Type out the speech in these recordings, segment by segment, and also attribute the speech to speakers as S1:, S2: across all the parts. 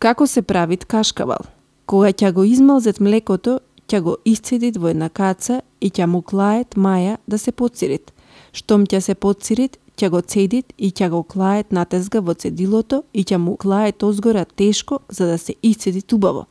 S1: Како се правит кашкавал? Кога ќе го измалзет млекото, ќе го исцедит во една каца и ќе му клает маја да се подсирит. Штом ќе се подсирит, ќе го цедит и ќе го клает натезга во цедилото и ќе му клает озгора тешко за да се исцедит убаво.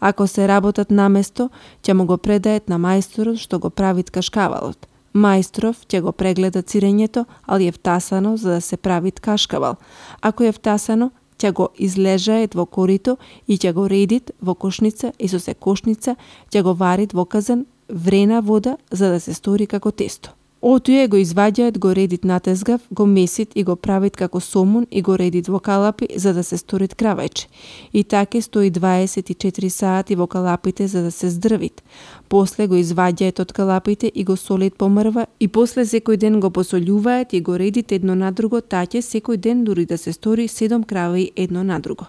S1: Ако се работат наместо, ќе му го предает на мајсторот што го правит кашкавалот. Мајсторов ќе го прегледа цирењето, али е втасано за да се правит кашкавал. Ако е втасано, ќе го излежает во корито и ќе го редит во кошница и со секошница ќе го варит во казан врена вода за да се стори како тесто. Отуе го изваѓаат, го редит натезгав, го месит и го правит како сомун и го редит во калапи за да се сторит кравајче. И таке стои 24 сати во калапите за да се здрвит. После го изваѓаат од калапите и го солит помрва и после секој ден го посолјуваат и го редит едно на друго, таќе секој ден дури да се стори 7 краваи едно на друго.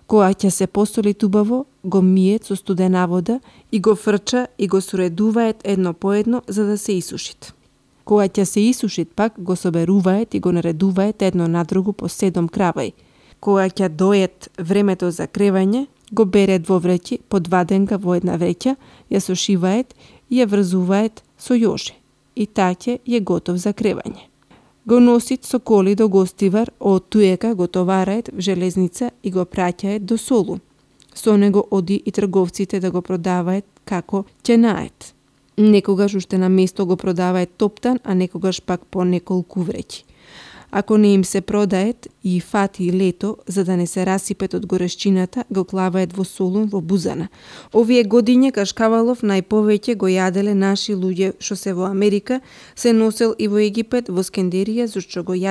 S1: Кога ќе се посолит убаво, го миет со студена вода и го фрча и го соредуваат едно по едно за да се исушит. Кога ќе се исушит пак, го соберуваат и го наредуваат едно на друго по 7 краваи. Кога ќе дојат времето за кревање, го берет во вреќи, по 2 денка во една вреќа, ја сушиваат и ја врзуваат со јоже. И таќе е готов за кревање. Го носит со коли до гостивар, од туека го товараат в железница и го праќаат до Солун. Со него оди и трговците да го продаваат како ќенает. Некогаш уште на место го продаваат топтан, а некогаш пак по неколку вреќи. Ако не им се продаат и фати лето, за да не се расипет од горешчината, го клаваат во Солун во Бузана. Овие годиња кашкавалов најповеќе го јаделе наши луѓе што се во Америка, се носел и во Египет, во Скендерија, зашто го јаделе